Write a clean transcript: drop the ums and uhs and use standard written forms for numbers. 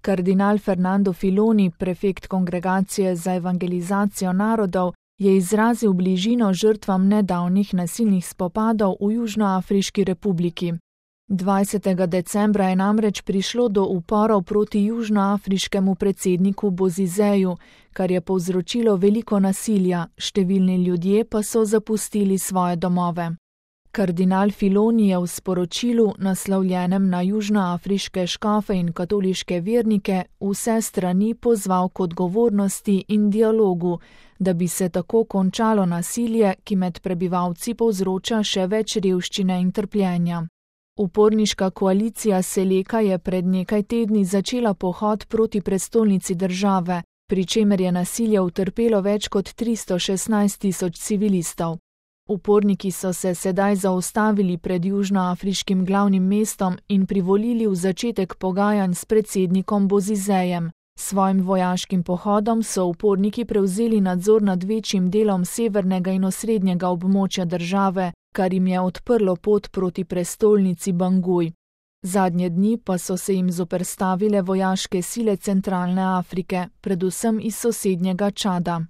Kardinal Fernando Filoni, prefekt Kongregacije za evangelizacijo narodov, je izrazil bližino žrtvam nedavnih nasilnih spopadov v Južnoafriški republiki. 20. decembra je namreč prišlo do uporov proti južnoafriškemu predsedniku Bozizeju, kar je povzročilo veliko nasilja, številni ljudje pa so zapustili svoje domove. Kardinal Filoni je v sporočilu, naslovljenem na južnoafriške škofe in katoliške vernike, vse strani pozval k odgovornosti in dialogu, da bi se tako končalo nasilje, ki med prebivalci povzroča še več revščine in trpljenja. Uporniška koalicija Seleka je pred nekaj tedni začela pohod proti prestolnici države, pri čemer je nasilje utrpelo več kot 316.000 civilistov. Uporniki so se sedaj zaustavili pred južnoafriškim glavnim mestom in privolili v začetek pogajanj s predsednikom Bozizejem. Svojim vojaškim pohodom so uporniki prevzeli nadzor nad večjim delom severnega in osrednjega območja države, kar jim je odprlo pot proti prestolnici Banguj. Zadnje dni pa so se jim zoperstavile vojaške sile centralne Afrike, predvsem iz sosednjega Čada.